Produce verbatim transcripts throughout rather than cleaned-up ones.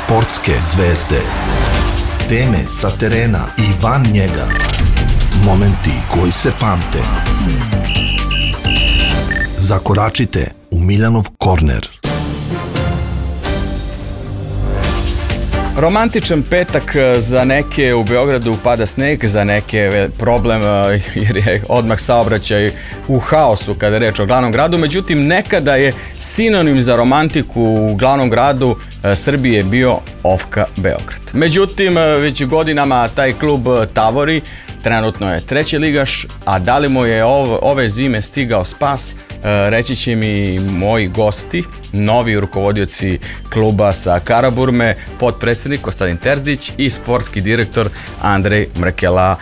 Sportske zvezde. Teme sa terena i van njega. Momenti koji se pamte. Zakoračite u Miljanov korner. Romantičan petak za neke, u Beogradu pada sneg, za neke problem jer je odmah saobraćaj u haosu kada je reč o glavnom gradu, međutim nekada je sinonim za romantiku u glavnom gradu Srbije bio Ofka Beograd. Međutim, već godinama taj klub tavori, trenutno je treći ligaš, a da li mu je ove zime stigao spas, reći će mi moji gosti, novi rukovodioci kluba sa Karaburme, potpredsjednik Kostadin Terzić i sportski direktor Andrej Mrkela.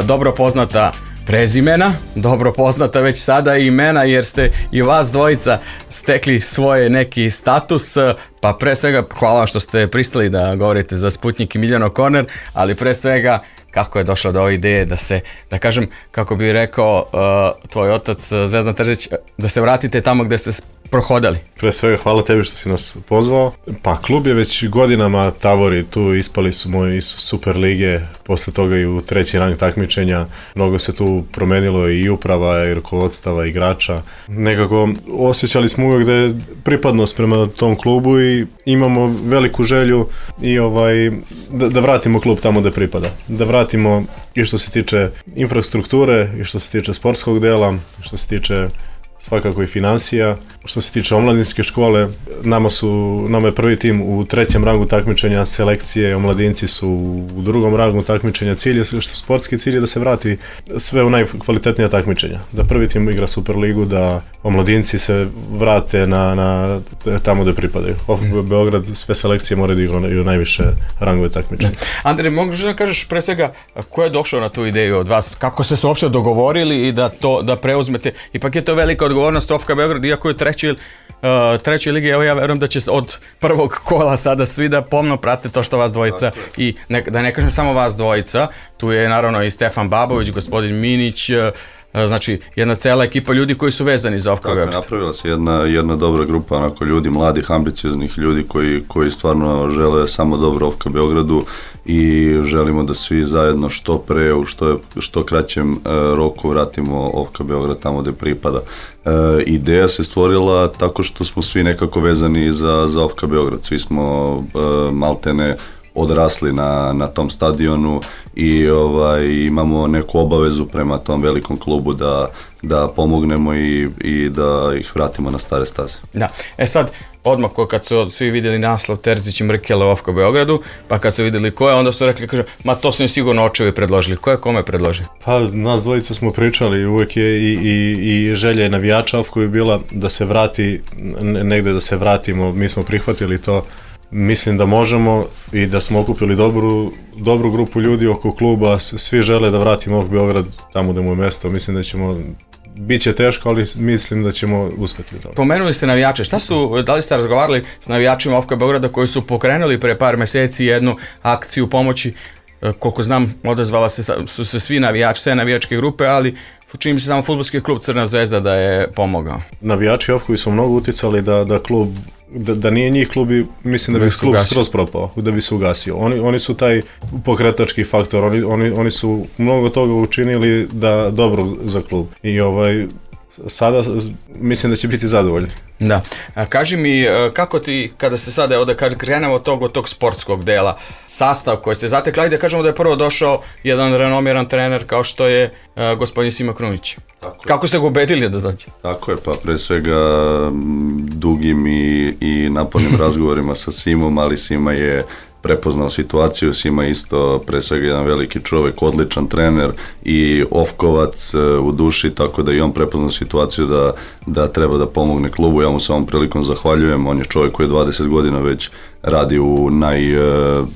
Dobro poznata prezimena, dobro poznata već sada i imena, jer ste i vas dvojica stekli svoje neki status, pa pre svega hvala vam što ste pristali da govorite za Sputnjik i Miljanov korner, ali pre svega kako je došlo do ove ideje da se, da kažem, kako bi rekao uh, tvoj otac Zvezdan Terzić, da se vratite tamo gde ste prohodali. Pre svega hvala tebi što si nas pozvao. Pa klub je već godinama tavori, tu ispali su moji iz Super lige, posle toga i u treći rang takmičenja. Mnogo se tu promenilo i uprava i rukovodstava igrača. Nekako osjećali smo uvijek da je pripadnost prema tom klubu i imamo veliku želju i ovaj da, da vratimo klub tamo gde pripada. Da vratimo i što se tiče infrastrukture, i što se tiče sportskog dela, i što se tiče svakako i financija. Što se tiče omladinske škole, nama su, nama je prvi tim u trećem rangu takmičenja selekcije, omladinci su u drugom rangu takmičenja. Cilj je, što sportski cilj je da se vrati sve u najkvalitetnija takmičenja. Da prvi tim igra Superligu, da omladinci se vrate na, na tamo gde pripadaju. Mm. Beograd, sve selekcije moraju da igraju najviše rangove takmičenja. Andrej, možeš da kažeš pre svega ko je došao na tu ideju od vas? Kako ste se uopšte dogovorili i da to da preuzmete? Ipak je to velika odgovornost Ofka Beograd, iako je treći Uh, trećoj ligi, evo ja verujem da će od prvog kola sada svi da pomno prate to što vas dvojica i ne, da ne kažem samo vas dvojica, tu je naravno i Stefan Babović, gospodin Minić, uh, znači jedna cela ekipa ljudi koji su vezani za Ofka Beograd. Napravila se jedna, jedna dobra grupa onako ljudi, mladih, ambicioznih ljudi koji, koji stvarno žele samo dobro Ofka Beogradu i želimo da svi zajedno što pre, u što, što kraćem uh, roku vratimo Ofka Beograd tamo gde pripada. Uh, ideja se stvorila tako što smo svi nekako vezani za, za Ofka Beograd, svi smo uh, maltene odrasli na, na tom stadionu i ovaj, imamo neku obavezu prema tom velikom klubu da, da pomognemo i, i da ih vratimo na stare staze. Da, e sad, odmah kad su svi vidjeli naslov Terzić i Mrkela u Ofka Beogradu, pa kad su vidjeli ko je, onda su rekli, kaže, ma to su im sigurno očevi predložili. Ko je kome predložili? Pa nas dvojica smo pričali, uvek je i, i, i želja navijača Ofka je bila da se vrati, negde da se vratimo, mi smo prihvatili to. Mislim da možemo i da smo okupili dobru, dobru grupu ljudi oko kluba, svi žele da vratimo Ofka Beograd tamo gde mu je mesto, mislim da ćemo, bit će teško, ali mislim da ćemo uspeti u tome. Pomenuli ste navijače, šta su, da li ste razgovarali s navijačima Ofka Beograda koji su pokrenuli pre par meseci jednu akciju pomoći, koliko znam odazvala se, su se svi navijači, sve navijačke grupe, ali čini mi se samo fudbalski klub Crna zvezda da je pomogao. Navijači Ofka su mnogo uticali da, da klub Da, da nije njih klub, mislim da bi klub skroz propao, da bi se ugasio. Oni, oni su taj pokretački faktor, oni, oni, oni su mnogo toga učinili da dobro za klub. I ovaj, sada mislim da će biti zadovoljni. Da. A, kaži mi, kako ti, kada se sada, ovdje krenemo od tog, od tog sportskog dela, sastav koji ste zatekli, ajde da kažemo da je prvo došao jedan renomiran trener kao što je uh, gospodin Sima Krunić. Kako ste ga ubedili da dođe? Tako je, pa pre svega dugim i, i napornim razgovorima sa Simom, ali Sima je prepoznao situaciju, Sima isto pre svega jedan veliki čovjek, odličan trener i Ofkovac u duši, tako da i on prepoznao situaciju da, da treba da pomogne klubu. Ja mu se ovom prilikom zahvaljujem, on je čovjek koji je dvadeset godina već radi u, naj,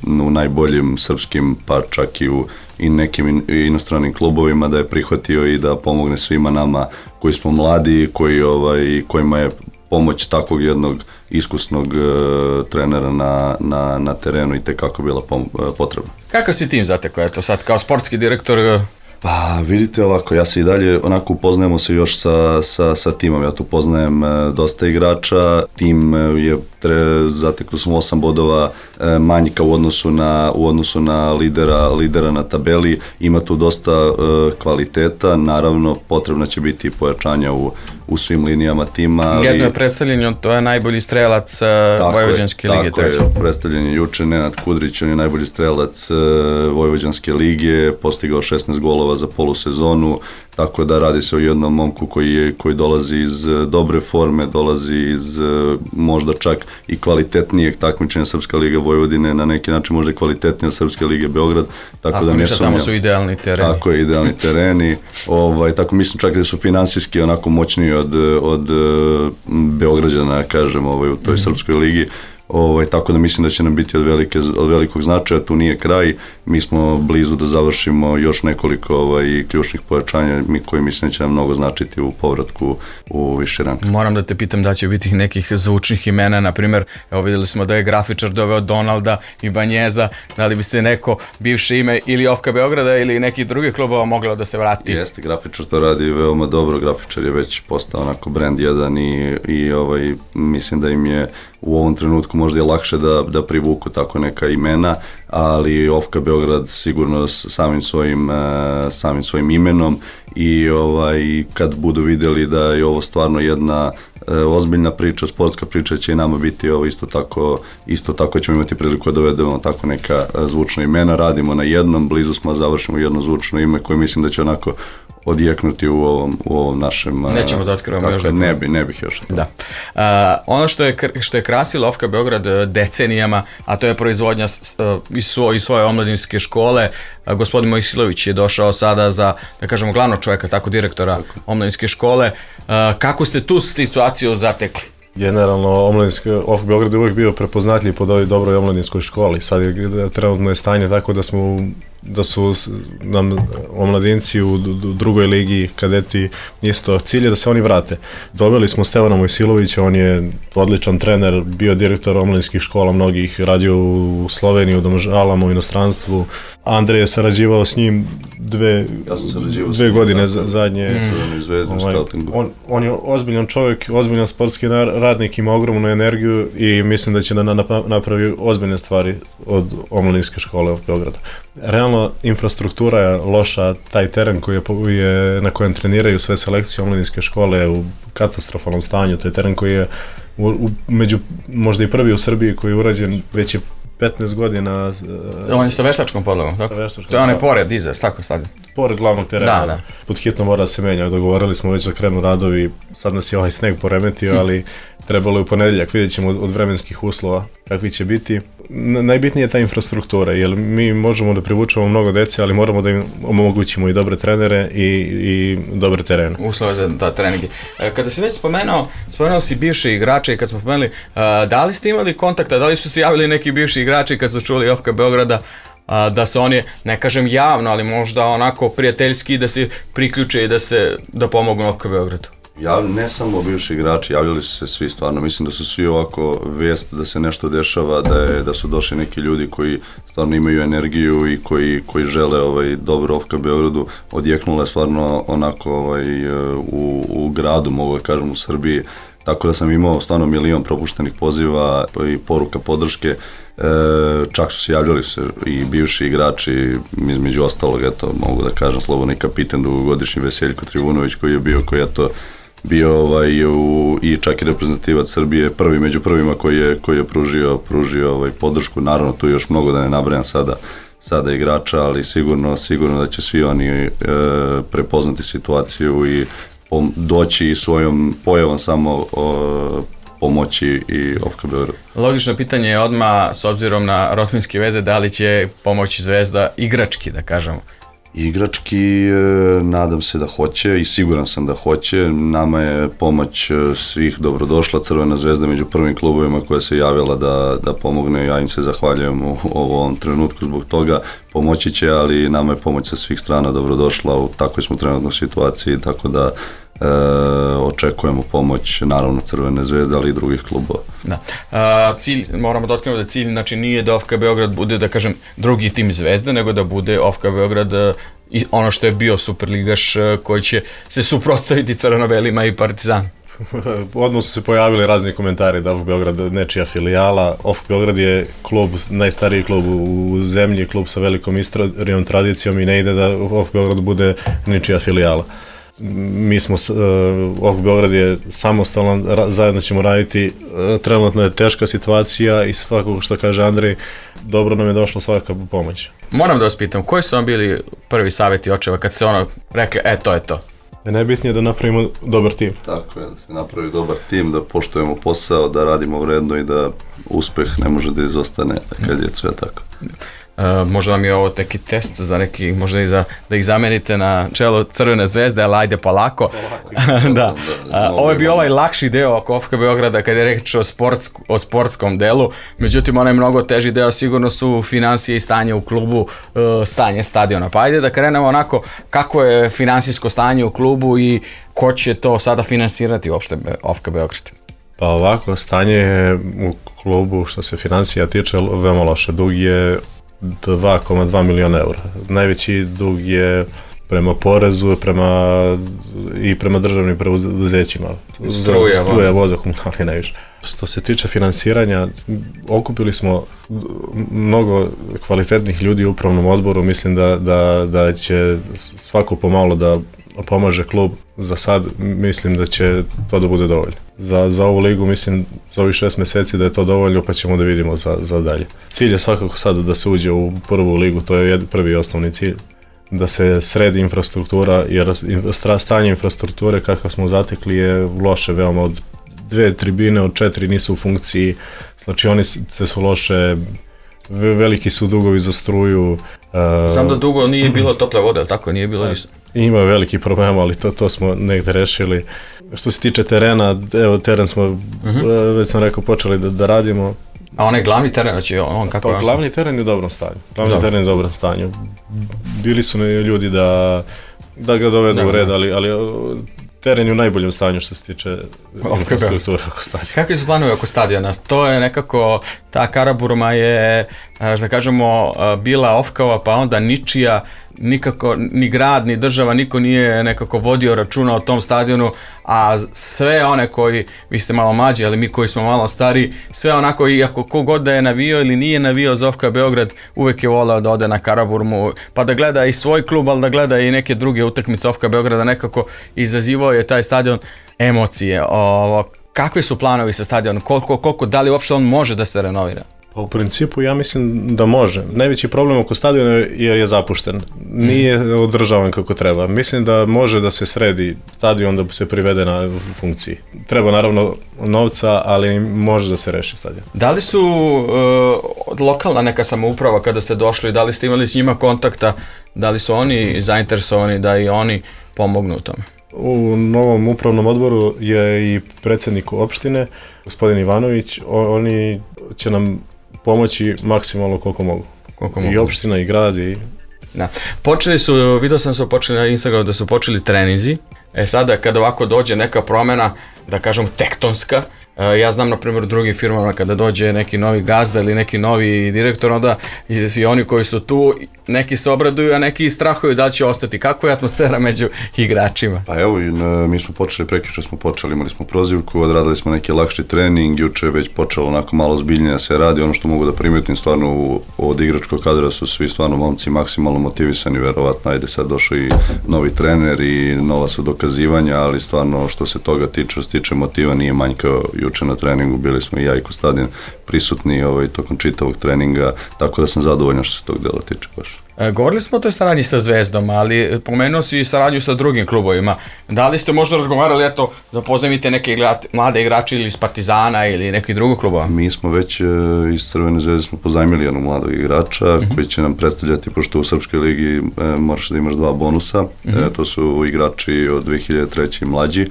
u najboljim srpskim, pa čak i u i nekim inostranim klubovima, da je prihvatio i da pomogne svima nama koji smo mladi, koji, ovaj, kojima je pomoć takvog jednog iskusnog uh, trenera na, na, na terenu i tekako bila pom- potrebna. Kakav si tim zatekao, eto sad kao sportski direktor Pa vidite ovako, ja se i dalje onako upoznajemo se još sa, sa, sa timom, ja tu poznajem e, dosta igrača, tim je tre, zatekli smo osam bodova e, manjka u odnosu na, u odnosu na lidera, lidera na tabeli, ima tu dosta e, kvaliteta, naravno potrebno će biti pojačanja u, u svim linijama tima. Ali... Jedno je predstavljeno, to je najbolji strelac Vojvođanske lige. Tako je, predstavljen je juče Nenad Kudrić, on je najbolji strelac e, Vojvođanske lige, postigao šesnaest golova za polusezonu, tako da radi se o jednom momku koji, je, koji dolazi iz dobre forme, dolazi iz možda čak i kvalitetnijeg takmičenja Srpska liga Vojvodine, na neki način možda i kvalitetnija Srpska liga Beograd, tako Ako da ne sumnjam. Tamo su idealni tereni. Tako je, idealni tereni, ovaj, tako mislim čak da su finansijski onako moćniji od, od Beograđana, kažem, ovaj, u toj mm-hmm. Srpskoj ligi. Ovaj, tako da mislim da će nam biti od, velike, od velikog značaja, tu nije kraj, mi smo blizu da završimo još nekoliko ovaj, ključnih pojačanja mi koji mislim da će nam mnogo značiti u povratku u viši rang. Moram da te pitam da će biti nekih zvučnih imena, na primjer, evo videli smo da je grafičar doveo Donalda i Banjeza, da li bi se neko bivše ime ili Ofka Beograda ili nekih drugih klubova moglo da se vrati? Jeste, grafičar to radi veoma dobro, grafičar je već postao onako brand jedan i, i ovaj, mislim da im je u ovom trenutku možda je lakše da, da privuku tako neka imena, ali Ofka Beograd sigurno samim svojim, samim svojim imenom i ovaj, kad budu vidjeli da je ovo stvarno jedna ozbiljna priča, sportska priča, će i nama biti ovo isto tako, isto tako ćemo imati priliku da dovedemo tako neka zvučna imena, radimo na jednom, blizu smo završimo jedno zvučno ime koje mislim da će onako odjeknuti u ovom, u ovom našem... Nećemo da otkrivamo još. Ne, bi, ne bih još. Da. Uh, ono što je, što je krasilo Ofka Beograd decenijama, a to je proizvodnja uh, iz, svo, iz svoje omladinske škole. Uh, gospodin Mojsilović je došao sada za, da kažemo, glavnog čovjeka, tako direktora tako. omladinske škole. Uh, kako ste tu situaciju zatekli? Generalno, omladinski Ofka Beograd je uvijek bio prepoznatljiv pod ovoj dobroj omladinskoj školi. Sad je trenutno je stanje tako da smo da su nam omladinci u drugoj ligi, kadeti, isto cilj je da se oni vrate. Doveli smo Stevana Mojsilovića, on je odličan trener, bio direktor omladinskih škola, mnogih radio u Sloveniji, u Domžalama, u inostranstvu. Andrej je sarađivao s njim dve, ja dve godine za, zadnje. Mm. Ovaj, on, on je ozbiljan čovjek, ozbiljan sportski radnik, ima ogromnu energiju i mislim da će da napravi ozbiljne stvari od omladinske škole u Beogradu. Realno, infrastruktura je loša, taj teren koji je, je, na kojem treniraju sve selekcije omladinske škole je u katastrofalnom stanju, to je teren koji je u, u, među, možda i prvi u Srbiji koji je urađen, već je petnaest godina. On je sa veštačkom podlogom, tako? Veštačkom, to je onaj pored iza, tako sad. Pored glavnog terena, da, da. Pod hitno mora da se menja, dogovorili smo već da krenu radovi, sad nas je ovaj sneg poremetio, ali trebalo je u ponedjeljak, vidjet ćemo od vremenskih uslova kakvi će biti. Najbitnije je ta infrastruktura, jer mi možemo da privučemo mnogo dece, ali moramo da im omogućimo i dobre trenere i, i dobre terene. Uslove za da, treninge. Kada si već spomenuo, spomenuo si bivše igrače i kad smo spomenuli, da li ste imali kontakta, da li su se javili neki bivši igrači kad su čuli Ofka Beograda, da se oni, ne kažem javno, ali možda onako prijateljski da se priključe i da se da pomognu Ofka Beogradu? Ja, ne samo bivši igrači, javljali su se svi stvarno, mislim da su svi ovako vijest da se nešto dešava, da, je, da su došli neki ljudi koji stvarno imaju energiju i koji, koji žele ovaj, dobro Ofka Beogradu, odjeknula stvarno onako ovaj, u, u gradu, mogu da kažem u Srbiji, tako da sam imao stvarno milion propuštenih poziva i poruka podrške. E, čak su se javljali se i bivši igrači, između ostalog, eto, mogu da kažem slobodno i kapitan dugogodišnji Veseljko Trivunović koji je bio, koji je to bio ovaj, u, i čak i reprezentativac Srbije, prvi među prvima koji je, koji je pružio, pružio ovaj, podršku, naravno tu još mnogo da ne nabrajam sada, sada igrača, ali sigurno, sigurno da će svi oni e, prepoznati situaciju i pom- doći i svojom pojavom samo o, pomoći i Ofka Beograd. Logično pitanje je odmah, s obzirom na rodbinske veze, da li će pomoći Zvezda igrački, da kažemo? Igrački, nadam se da hoće i siguran sam da hoće. Nama je pomoć svih dobrodošla. Crvena Zvezda među prvim klubovima koja se javila da, da pomogne. Ja im se zahvaljujem u, u ovom trenutku zbog toga. Pomoći će, ali nama je pomoć sa svih strana dobrodošla. U takvoj smo trenutnoj situaciji, tako da E, očekujemo pomoć naravno Crvene Zvezde, ali i drugih klubova. Da. A, cilj, moramo da otkrijemo da cilj znači nije da Ofka Beograd bude, da kažem, drugi tim Zvezde, nego da bude Ofka Beograd i ono što je bio superligaš koji će se suprotstaviti crno-belima i Partizanu. Odmah su se pojavili razni komentari da OFK Beograd nečija filijala. OFK Beograd je klub, najstariji klub u zemlji, klub sa velikom istorijom, tradicijom i ne ide da OFK Beograd bude nečija filijala. Mi smo, OFK Beograd je samostalan, zajedno ćemo raditi, trenutno je teška situacija i svakog što kaže Andrej, dobro nam je došla svaka pomoć. Moram da vas pitam, koji su vam bili prvi savjeti očeva kad ste ono rekli, e to je to? Najbitnije je da napravimo dobar tim. Tako je, da se napravi dobar tim, da poštujemo posao, da radimo vredno i da uspeh ne može da izostane kad je sve tako. Uh, možda vam je ovo neki test za neki, možda i za, da ih zamenite na čelo Crvene zvezde, ali ajde polako. polako da. Da, uh, ovo je bio ovaj lakši deo oko OFK Beograda kad je reč o, sportsk, o sportskom delu, međutim onaj mnogo teži deo sigurno su financije i stanje u klubu, uh, stanje stadiona. Pa ajde da krenemo onako kako je finansijsko stanje u klubu i ko će to sada finansirati uopšte OFK Beograd. Pa ovako, stanje u klubu što se financija tiče veoma loše. Dug je dva zarez dva miliona eura. Najveći dug je prema porezu prema, i prema državnim preduzećima. Struja, Struja voda, komunalni najviše. Što se tiče finansiranja, okupili smo mnogo kvalitetnih ljudi u upravnom odboru. Mislim da, da, da će svako pomalo da pomaže klub. Za sad mislim da će to da bude dovoljno. Za, za ovu ligu mislim za ovih šest meseci da je to dovoljno, pa ćemo da vidimo za, za dalje. Cilj je svakako sada da se uđe u prvu ligu, to je prvi i osnovni cilj. Da se sredi infrastruktura, jer stanje infrastrukture kakav smo zatekli je loše veoma. Od dve tribine od četiri nisu u funkciji, znači oni se su loše, veliki su dugovi za struju. Znam da dugo nije bilo tople vode, ali tako nije bilo ništa. Ima veliki problem, ali to, to smo negde rešili. Što se tiče terena, evo teren smo, uh-huh. već sam rekao, počeli da, da radimo. A onaj glavni teren, znači on kako pa, glavni teren je u dobrom stanju. Glavni Dobre. teren je u dobrom stanju. Bili su ljudi da, da ga dovedu da, u red, ali, ali teren je u najboljem stanju što se tiče infrastrukture oko stadiona. Kakvi su planovi oko stadiona? To je nekako, ta Karaburma je, da kažemo, bila OFK-ova, pa onda ničija, nikako, ni grad, ni država, niko nije nekako vodio računa o tom stadionu, a sve one koji, vi ste malo mlađi, ali mi koji smo malo stari, sve onako, iako kogod da je navio ili nije navio za OFK Beograd, uvek je voleo da ode na Karaburmu, pa da gleda i svoj klub, ali da gleda i neke druge utakmice OFK Beograda, nekako izazivao je taj stadion emocije. Ovo, kakvi su planovi sa stadionom, koliko, koliko, da li uopšte on može da se renovira? Pa u principu ja mislim da može. Najveći problem oko stadiona je jer je zapušten. Nije održavan kako treba. Mislim da može da se sredi stadion, da se privede na funkciji. Treba naravno novca, ali može da se reši stadion. Da li su uh, lokalna neka samouprava kada ste došli, da li ste imali s njima kontakta, da li su oni zainteresovani da i oni pomognu u tome? U novom upravnom odboru je i predsjednik opštine, gospodin Ivanović. Oni će nam pomoći maksimalno koliko mogu. Koliko I mogu. opština i grad. I... Da. Počeli su, vidio sam su počeli na Instagramu da su počeli treninzi. E sada kada ovako dođe neka promjena, da kažem tektonska, ja znam na primjer u drugim firmama kada dođe neki novi gazda ili neki novi direktor, onda i oni koji su tu, neki se obraduju, a neki strahuju da li će ostati. Kako je atmosfera među igračima? Pa evo, mi smo počeli, prekjuče smo počeli, imali smo prozivku, odradili smo neki lakši trening, juče je već počelo onako malo zbiljnije da se radi. Ono što mogu da primetim stvarno od igračkog kadra su svi stvarno momci maksimalno motivisani, verovatno, ajde sad došao i novi trener i nova su dokazivanja, ali stvarno što se toga tiče, što se tiče motiva nije manjkao juče na treningu, bili smo i ja i Kostadin prisutni ovaj, tokom čitavog treninga, tako da sam zadovoljan što se tog dela tiče baš. E, govorili smo o toj saradnji sa Zvezdom, ali pomenuo si i saradnju sa drugim klubovima. Da li ste možda razgovarali, eto, da pozajmite neke igrati, mlade igrače ili iz Partizana ili nekih drugih klubova? Mi smo već e, iz Crvene zvezde smo pozajmili jednog mladog igrača uh-huh. koji će nam predstavljati, pošto u Srpskoj ligi e, moraš da imaš dva bonusa, uh-huh. e, to su igrači od dve hiljade treće i mlađi.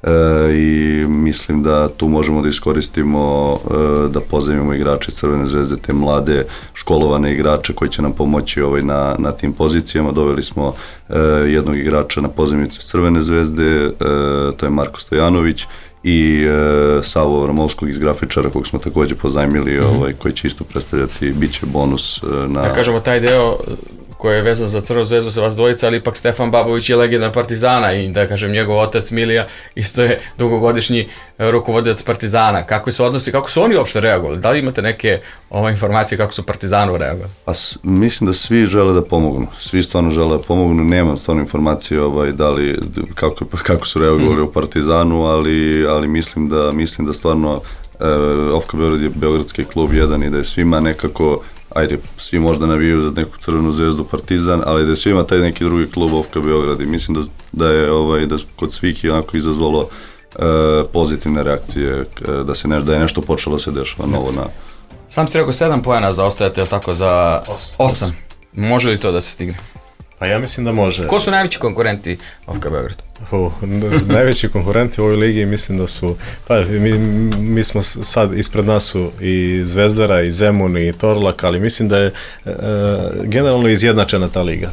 E, i mislim da tu možemo da iskoristimo e, da pozajmimo igrače Crvene zvezde, te mlade školovane igrače koji će nam pomoći ovaj, na, na tim pozicijama. Doveli smo e, jednog igrača na pozajmicu Crvene zvezde, e, to je Marko Stojanović, i e, Savo Vramovskog iz grafičara kog smo također pozajmili, mm-hmm. ovaj, koji će isto predstavljati, bit će bonus e, na... Da kažemo taj deo koji je vezan za Crvenu zvezdu sa vas dvojica, ali ipak Stefan Babović je legenda Partizana i da kažem njegov otac Milija isto je dugogodišnji rukovodilac Partizana. Kako se odnosi, kako su oni uopšte reagovali? Da li imate neke ove informacije kako su Partizanu reagovali? Pa mislim da svi žele da pomognu. Svi stvarno žele da pomognu. Nemam stvarno informacije ovaj, da li, kako, kako su reagovali mm. u Partizanu, ali, ali mislim da mislim da stvarno e, O F K Beograd je beogradski klub jedan i da je svima nekako, ajde, svi možda navijaju za neku Crvenu zvezdu, Partizan, ali da je svima taj neki drugi klub O F K Beograd i mislim da, da je ovaj, da kod svih je onako izazvalo e, pozitivne reakcije, da, se ne, da je nešto počelo se dešava novo na... Sam si rekao sedam poena zaostajate, je tako, za osam. Može li to da se stigne? Pa ja mislim da može. Ko su najveći konkurenti O F K Beograd? Uh, najveći konkurenti u ovoj ligi mislim da su, pa mi, mi smo sad, ispred nas su i Zvezdara, i Zemun, i Torlak, ali mislim da je uh, generalno izjednačena ta liga.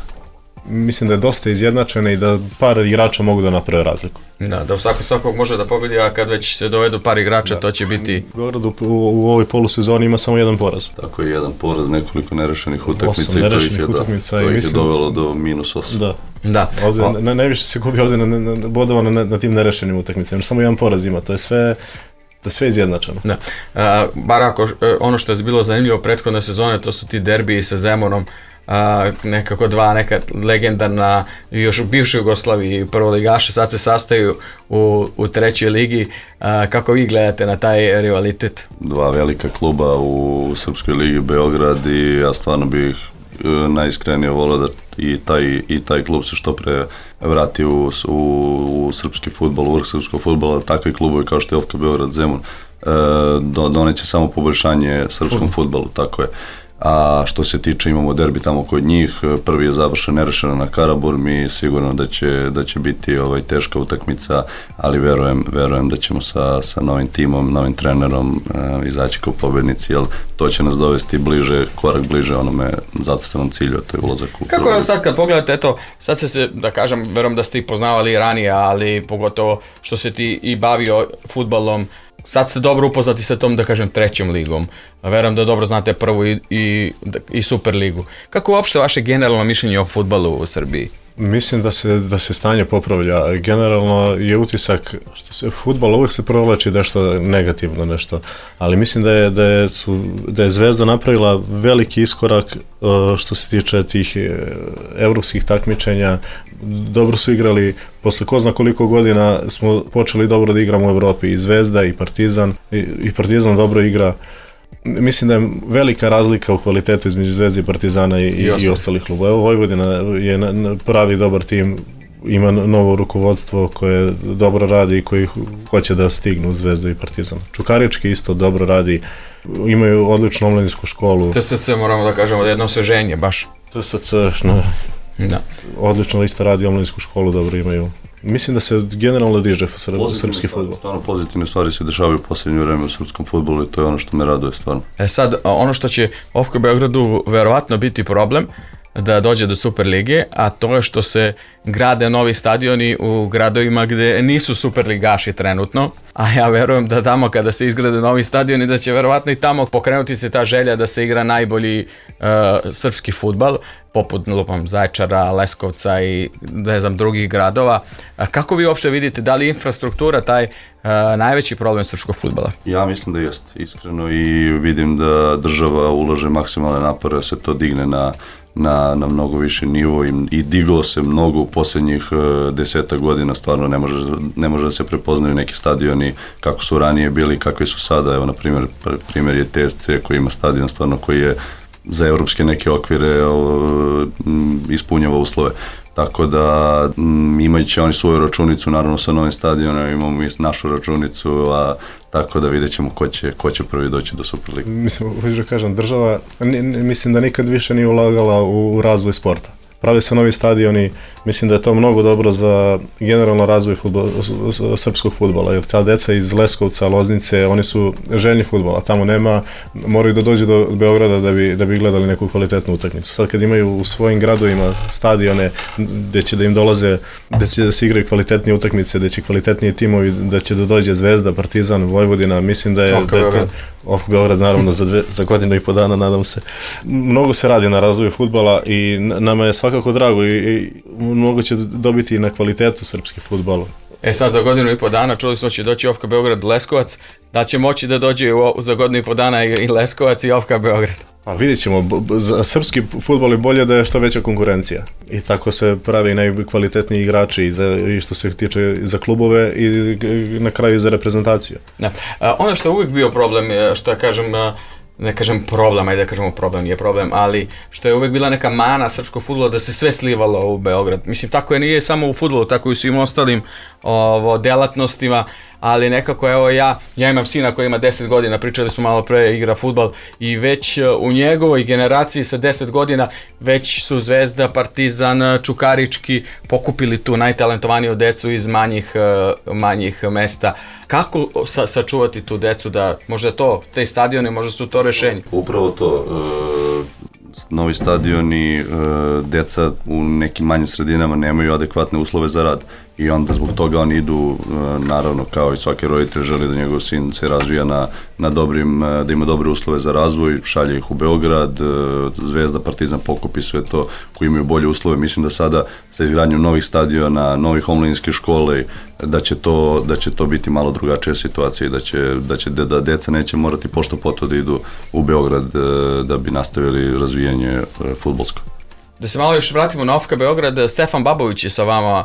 Mislim da je dosta izjednačena i da par igrača mogu da naprave razliku. Da, da svako svakog može da pobedi, a kad već se dovedu par igrača, da. To će biti... Beograd u, u, u ovoj polusezoni ima samo jedan poraz. Tako je, jedan poraz, nekoliko nerešenih utakmica i to ih je, utakmica, da, to ih mislim, je dovelo do minus osam. Da. Da. Ovdje, na, najviše se gubi ovdje na, na, na, bodova na, na tim nerešenim utakmicama, samo jedan poraz ima, to je sve... To je sve izjednačeno. Da. A, bar ako, ono što je bilo zanimljivo prethodne sezone, to su ti derbiji sa Zemunom, a, nekako dva neka legendarna još u bivšoj Jugoslaviji prvoligaša, sad se sastaju u, u trećoj ligi. A, kako vi gledate na taj rivalitet? Dva velika kluba u Srpskoj ligi Beograd i ja stvarno bih najiskrenije volio da i taj, i taj klub se što pre vrati u, u, u srpski fudbal, u vrh srpskog fudbala, takvi klubovi kao što je O F K Beograd, Zemun, e, doneće samo poboljšanje srpskom fudbalu, tako je. A što se tiče, imamo derbi tamo kod njih, prvi je završen nerešeno na Karaburmi, sigurno da će, da će biti ovaj, teška utakmica, ali verujem, verujem da ćemo sa, sa novim timom, novim trenerom uh, izaći kao pobednici, jer to će nas dovesti bliže, korak bliže onome zacrtanom cilju, a to je ulazak u... Kako je sad kad pogledate, eto, sad se, se da kažem, verujem da ste ih poznavali ranije, ali pogotovo što se ti i bavio fudbalom, sad ste dobro upoznati sa tom, da kažem, trećom ligom. Verujem da dobro znate prvu i, i, i Super ligu. Kako uopšte vaše generalno mišljenje o fudbalu u Srbiji? Mislim da se, da se stanje popravlja. Generalno je utisak, što se fudbal uvijek se provlači nešto negativno, nešto, ali mislim da je, da je, su, da je Zvezda napravila veliki iskorak što se tiče tih evropskih takmičenja. Dobro su igrali, posle ko zna koliko godina smo počeli dobro da igramo u Evropi, i Zvezda i Partizan, i, i Partizan dobro igra. Mislim da je velika razlika u kvalitetu između Zvezde i Partizana i, I, i ostalih klubova. Evo, Vojvodina je na, na pravi dobar tim, ima novo rukovodstvo koje dobro radi i koji hoće da stignu u Zvezdu i Partizan. Čukarički isto dobro radi, imaju odličnu omladinsku školu. T S C moramo da kažemo da je jedno osveženje baš. T S C, no, da. Odlično isto radi, omladinsku školu dobro imaju. Mislim da se generalno diže srpski fudbal. Stvarno pozitivne stvari se dešavaju u posljednje vreme u srpskom fudbalu i to je ono što me raduje stvarno. E sad, ono što će O F K Beogradu verovatno biti problem da dođe do Super lige, a to je što se grade novi stadioni u gradovima gde nisu superligaši trenutno, a ja verujem da tamo kada se izgrade novi stadioni da će verovatno i tamo pokrenuti se ta želja da se igra najbolji uh, srpski fudbal, poput lupam Zaječara, Leskovca i ne znam drugih gradova. A kako vi uopšte vidite, da li infrastruktura taj uh, najveći problem srpskog fudbala? Ja mislim da jest, iskreno, i vidim da država ulaže maksimalne napore da se to digne na Na, na mnogo više nivo i, i diglo se mnogo u posljednjih uh, deseta godina, stvarno ne može, ne može da se prepoznaju neki stadioni kako su ranije bili, kakvi su sada. Evo, na primjer, primjer je T S C koji ima stadion stvarno koji je za evropske neke okvire uh, ispunjava uslove. Tako da m, imajući oni svoju računicu, naravno sa novim stadionom, imamo mi našu računicu, a tako da vidjet ćemo ko će, ko će prvi doći do Superlige. Mislim, hoću da kažem, država, mislim da nikad više nije ulagala u, u razvoj sporta. Prave se novi stadioni, mislim da je to mnogo dobro za generalno razvoj fudbala, srpskog fudbala, jer ta deca iz Leskovca, Loznice, oni su željni fudbala, tamo nema, moraju da dođu do Beograda da bi, da bi gledali neku kvalitetnu utakmicu. Sad kad imaju u svojim gradovima stadione gde će da im dolaze, gde će da se igraju kvalitetnije utakmice, gde će kvalitetniji timovi, da će da dođe Zvezda, Partizan, Vojvodina, mislim da je, da je to O F K Beograd naravno za, dve, za godinu i po dana, nadam se. Mnogo se radi na razvoju fudbala i nama je svakako drago i, i mnogo će dobiti na kvalitetu srpski fudbal. E sad za godinu i po dana čuli smo će doći O F K Beograd Leskovac, da će moći da dođe u, za godinu i po dana i Leskovac i O F K Beograd. Pa vidjet ćemo, za srpski fudbal je bolje da je što veća konkurencija i tako se pravi najkvalitetniji igrači i, za, i što se tiče za klubove i na kraju za reprezentaciju. Da. A, ono što je uvijek bio problem, što ja kažem, ne kažem problem, ajde da kažemo problem, nije problem, ali što je uvijek bila neka mana srpskog fudbala da se sve slivalo u Beograd. Mislim, tako je nije samo u fudbalu, tako i u svim ostalim ovo, delatnostima, ali nekako evo ja, ja imam sina koji ima deset godina, pričali smo malo pre, igra fudbal i već u njegovoj generaciji sa deset godina već su Zvezda, Partizan, Čukarički pokupili tu najtalentovaniju decu iz manjih, manjih mesta. Kako sa, sačuvati tu decu da možda to, te stadione, možda su to rešenje? Upravo to, e, novi stadioni, e, deca u nekim manjim sredinama nemaju adekvatne uslove za rad i onda zbog toga oni idu, e, naravno kao i svaki roditelj želi da njegov sin se razvija na, na dobrim, da ima dobre uslove za razvoj, šalje ih u Beograd, e, Zvezda, Partizan pokupi sve to koji imaju bolje uslove. Mislim da sada sa izgradnjom novih stadiona, novih omladinskih škole, da će to, da će to biti malo drugačija situacija i da će, da će da deca neće morati pošto poto da idu u Beograd da bi nastavili razvijanje fudbalsko. Da se malo još vratimo na O F K Beograd, Stefan Babović je sa vama,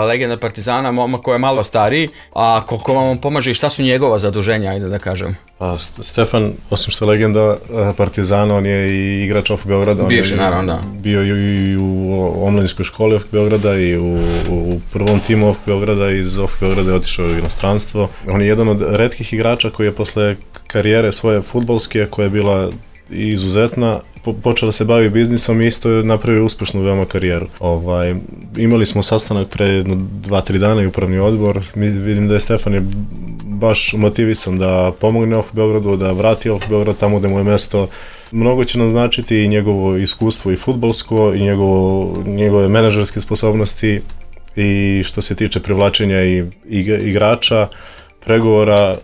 legenda Partizana, momak koji je malo stariji, a koliko vam pomaže i šta su njegova zaduženja, ajde da kažem? A Stefan, osim što je legenda Partizana, on je i igrač O F K Beograda. Bivši, naravno, da. Bio i u omladinskoj školi O F K Beograda i u, u prvom timu O F K Beograda, iz O F K Beograda je otišao u inostranstvo. On je jedan od retkih igrača koji je posle karijere svoje fudbalske, koja je bila izuzetna, počeo da se bavi biznisom i isto je napravio uspešnu veoma karijeru. Ovaj, imali smo sastanak pre dva tri dana i upravni odbor. Mi vidim da je Stefan je baš motivisan da pomogne O F K Beogradu, da vrati O F K Beograd tamo gde mu je mesto. Mnogo će nam značiti i njegovo iskustvo i fudbalsko i njegovo, njegove menadžerske sposobnosti i što se tiče privlačenja i igrača, pregovora.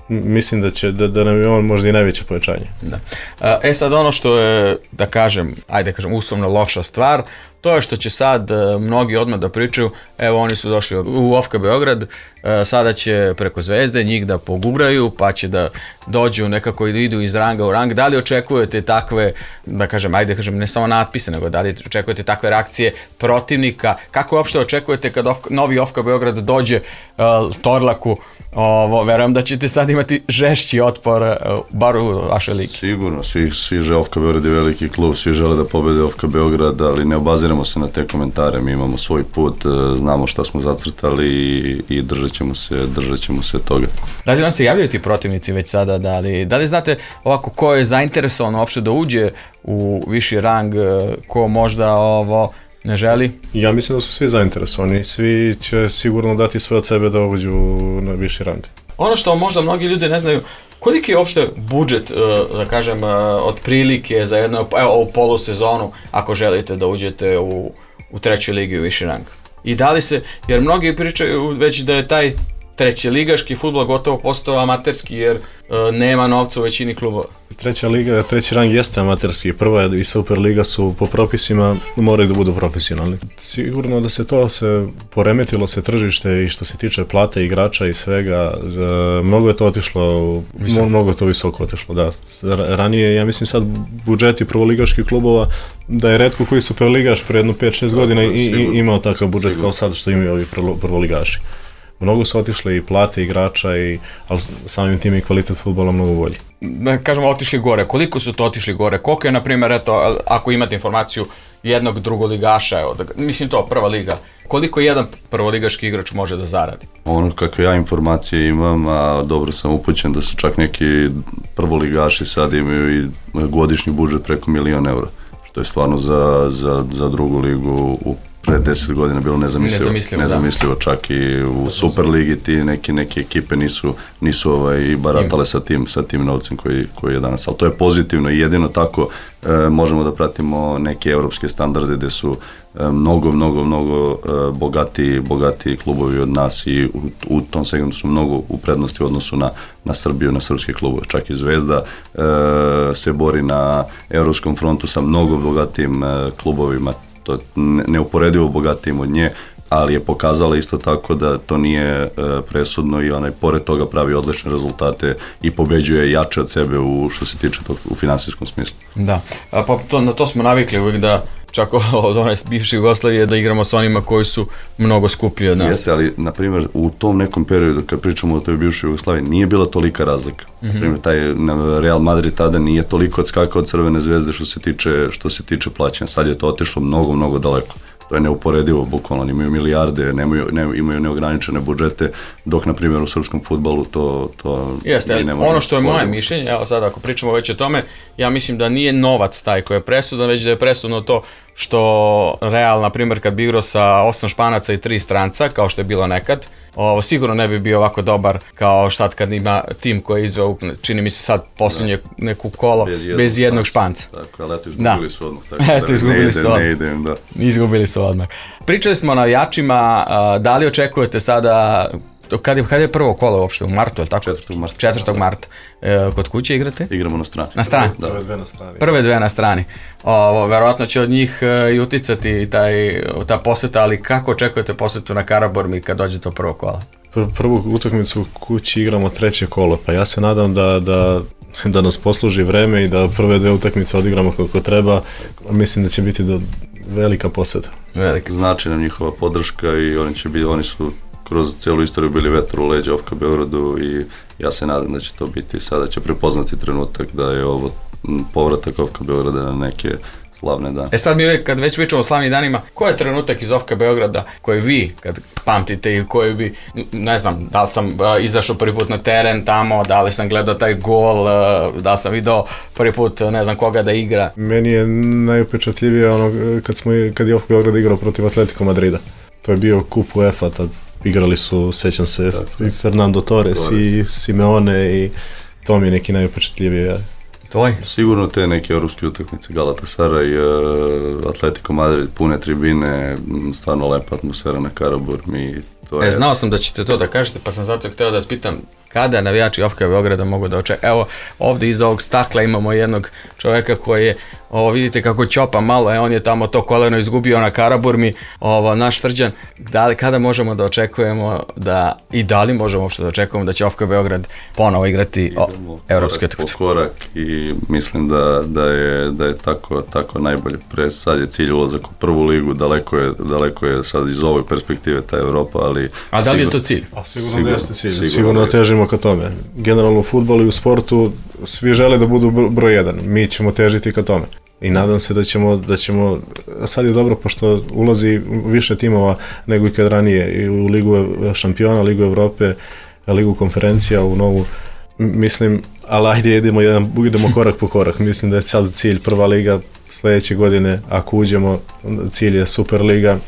Mislim da će, da, da nam je on možda i najveće pojačanje. Da. E sad ono što je, da kažem, ajde kažem, uslovno loša stvar, to je što će sad mnogi odmah da pričaju, evo oni su došli u O F K Beograd, sada će preko Zvezde njih da pogubraju, pa će da dođu nekako i da idu iz ranga u rang. Da li očekujete takve, da kažem, ajde kažem, ne samo natpise, nego da li očekujete takve reakcije protivnika? Kako uopšte očekujete kad novi O F K Beograd dođe uh, Torlaku? Ovo, verujem da ćete sad imati žešći otpor, bar u vašoj ligi. Sigurno, svi, svi žele O F K Beograd je veliki klub, svi žele da pobede O F K Beograd, ali ne obaziramo se na te komentare, mi imamo svoj put, znamo šta smo zacrtali i, i držat ćemo se, držat ćemo se toga. Da li vam se javljaju ti protivnici već sada, da li, da li znate ovako ko je zainteresovan uopšte da uđe u viši rang, ko možda ovo ne želi? Ja mislim da su svi zainteresovani, svi će sigurno dati sve od sebe da uđu na viši rang. Ono što možda mnogi ljudi ne znaju, koliki je uopšte budžet, da kažem, otprilike za jednu, evo, ovu polusezonu, ako želite da uđete u, u trećoj ligi u viši rang? I da li se, jer mnogi pričaju već da je taj treći ligaški fudbal gotovo postao amaterski, jer e, nema novca u većini klubova. Treća liga, treći rang jeste amaterski, prva i Superliga su po propisima, moraju da budu profesionalni. Sigurno da se to se poremetilo se tržište i što se tiče plate igrača i svega, e, mnogo je to otišlo, Visoko. mnogo je to visoko otišlo, da. Ranije, ja mislim sad budžeti prvoligaških klubova, da je retko koji Superligaš pre jedno pet šest godina i, i imao takav budžet sigurno. Kao sad što imaju ovi prvoligaši. Mnogo su otišle i plate igrača, i, ali samim tim i kvalitet fudbala mnogo bolji. Da kažemo otišli gore, koliko su to otišli gore? Koliko je, na primjer, eto, ako imate informaciju jednog drugoligaša, evo, da, mislim to, prva liga, koliko jedan prvoligaški igrač može da zaradi? Ono kako ja informacije imam, a dobro sam upućen da su čak neki prvoligaši sad imaju i godišnji budžet preko milion eura, što je stvarno za, za, za drugu ligu u pre deset godina bilo nezamislivo, nezamislivo, nezamislivo čak i u Superligi ti neki, neke ekipe nisu, nisu ovaj, baratale sa tim, sa tim novcem koji, koji je danas, ali to je pozitivno i jedino tako e, možemo da pratimo neke evropske standarde gde su e, mnogo, mnogo, mnogo e, bogati, bogati klubovi od nas i u, u tom segmentu su mnogo u prednosti u odnosu na, na Srbiju, na srpske klubove, čak i Zvezda e, se bori na evropskom frontu sa mnogo bogatim e, klubovima, to je neuporedivo bogatijim od nje, ali je pokazala isto tako da to nije e, presudno i onaj pored toga pravi odlične rezultate i pobeđuje jače od sebe u što se tiče tog, u finansijskom smislu. Da, a pa to, na to smo navikli uvijek da čak od one bivše Jugoslavije da igramo s onima koji su mnogo skuplji od nas. Jeste, ali na primjer u tom nekom periodu kad pričamo o toj bivšoj Jugoslaviji nije bila tolika razlika. Mm-hmm. Na primjer taj Real Madrid tada nije toliko odskakao od Crvene zvezde što se tiče što se tiče plaćanja. Sad je to otišlo mnogo, mnogo daleko. To je neuporedivo, bukvalno, imaju milijarde, nemaju, ne, imaju neograničene budžete, dok, na primjer, u srpskom fudbalu to, to Jeste, ne može. Ono što je moje mišljenje, evo sad ako pričamo već o tome, ja mislim da nije novac taj koji je presudan, već da je presudno to što Real, na primjer, kad bi igrao sa osam Španaca i tri stranca, kao što je bilo nekad, ovo sigurno ne bi bio ovako dobar kao sad kad ima tim koji je izveo, čini mi se sad posljednje neku kolo bez jednog, bez jednog Španca. Tako, ali eto izgubili su odmah. Tako, eto da izgubili ne su odmah. Ne idem, da. Izgubili su odmah. Pričali smo o navijačima, da li očekujete sada, kad je, kad je prvo kolo uopšte, u martu, je li tako? četvrtog marta. četvrtog marta. E, kod kuće igrate? Igramo na strani. Na strani? Da. Prve dve na strani. Prve dve na strani. Ovo, verovatno će od njih e, i uticati taj, ta poseta, ali kako očekujete posetu na Karaburmi kad dođe to prvo kola? Pr- prvu utakmicu u kući igramo treće kolo, pa ja se nadam da, da, da nas posluži vreme i da prve dve utakmice odigramo kako treba. Mislim da će biti do velika poseta. Velika. Znači nam njihova podrška i oni će biti, oni su kroz cijelu istoriju bili vetar u leđa O F K Beogradu i ja se nadam da će to biti, sada će prepoznati trenutak da je ovo povratak O F K Beograda na neke slavne dane. E sad mi uvijek, kad već pričamo o slavnim danima, koji je trenutak iz O F K Beograda koji vi, kad pamtite i koji bi, ne znam, da li sam uh, izašao prvi put na teren tamo, da li sam gledao taj gol, uh, da li sam vidio prvi put, ne znam koga da igra. Meni je najupečatljivije ono kad, smo, kad je O F K Beograd igrao protiv Atletico Madrida. To je bio kup UEFA, tad igrali su, sećam se, tako, i Fernando Torres, Torres i Simeone i to mi je neki najupečatljivije. Tvoj? Sigurno te neke europske utakmice, Galatasaray, uh, Atletico Madrid, pune tribine, stvarno lepa atmosfera na Karaburmi. To je... E, znao sam da ćete to da kažete, pa sam zato htio da vas pitam kada navijači O F K Beograda mogu da očekaju. Evo, ovdje iza ovog stakla imamo jednog čovjeka koji je, ovo vidite kako ćopa malo, e, on je tamo to koleno izgubio na Karaburmi, ovo, naš Srđan, da li, kada možemo da očekujemo da, i da li možemo uopšte da očekujemo da će O F K Beograd ponovo igrati evropske utakmice? Po korak i mislim da, da, je, da je tako, tako najbolje. Pre sad je cilj ulazak u prvu ligu, daleko je, daleko je sad iz ove perspektive ta Evropa, ali... A da li je to cilj? A sigurno da jeste cilj, sigurno, sigurno težimo ka tome. Generalno u fudbalu i u sportu svi žele da budu broj jedan, mi ćemo težiti ka tome. I nadam se da ćemo, da ćemo, sad je dobro pošto ulazi više timova nego ikad ranije i u Ligu šampiona, Ligu Evrope, Ligu konferencija, u novu, mislim, ali ajde idemo, jedan, idemo korak po korak, mislim da je sad cilj prva liga, sljedeće godine ako uđemo, cilj je Superliga,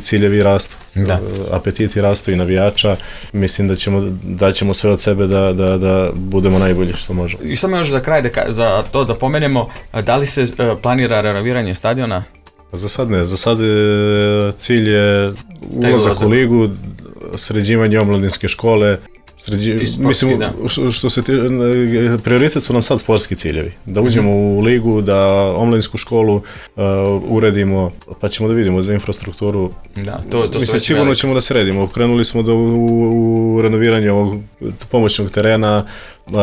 ciljevi rastu, da. Apetiti rastu i navijača, mislim da ćemo, da ćemo sve od sebe da, da, da budemo najbolji što možemo. I samo još za kraj, da, za to da pomenemo, da li se uh, planira renoviranje stadiona? Za sad ne, za sad cilj je ulazak u ligu, sređivanje omladinske škole, Sređi, mislim, što, što se ti, prioritet su nam sad sportski ciljevi. Da uđemo mm-hmm. u ligu, da omladinsku školu uh, uredimo, pa ćemo da vidimo za infrastrukturu. Da, to, to mislim, sigurno veliko. Ćemo da sredimo. Krenuli smo do, u, u renoviranje ovog pomoćnog terena, uh,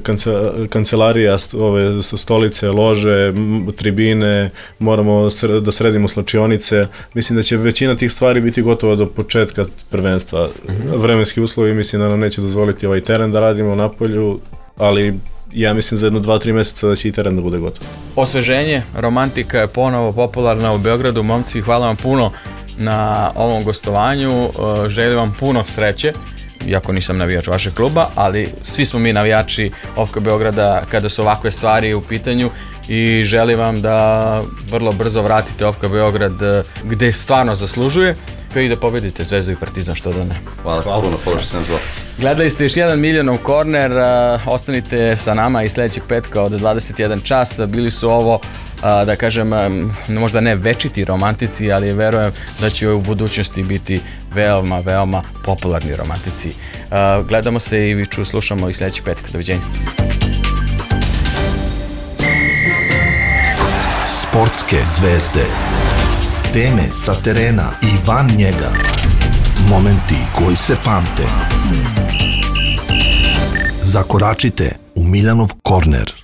kance, kancelarija, ove stolice, lože, tribine, moramo da sredimo slačionice. Mislim da će većina tih stvari biti gotova do početka prvenstva. Mm-hmm. Vremenski uslovi mislim da nam neće dozvoliti ovaj teren da radimo na polju, ali ja mislim za jedno dva tri mjeseca da će i teren da bude gotov. Osveženje, romantika je ponovo popularna u Beogradu. Momci, hvala vam puno na ovom gostovanju. Želim vam puno sreće, iako nisam navijač vašeg kluba, ali svi smo mi navijači O F K Beograda kada su ovakve stvari u pitanju i želim vam da vrlo brzo vratite O F K Beograd gde stvarno zaslužuje i da pobedite Zvezdu i Partizan, što da ne. Hvala, hvala puno, položi sam zlo. Gledali ste još jedan Miljanov korner, ostanite sa nama i sledećeg petka od dvadeset jedan čas. Bili su ovo, da kažem, možda ne večiti romantici, ali verujem da će u budućnosti biti veoma, veoma popularni romantici. Gledamo se i ču, slušamo i sledećeg petka. Doviđenja. Sportske zvezde. Teme sa terena i van njega. Momenti koji se pamte. Zakoračite u Miljanov korner.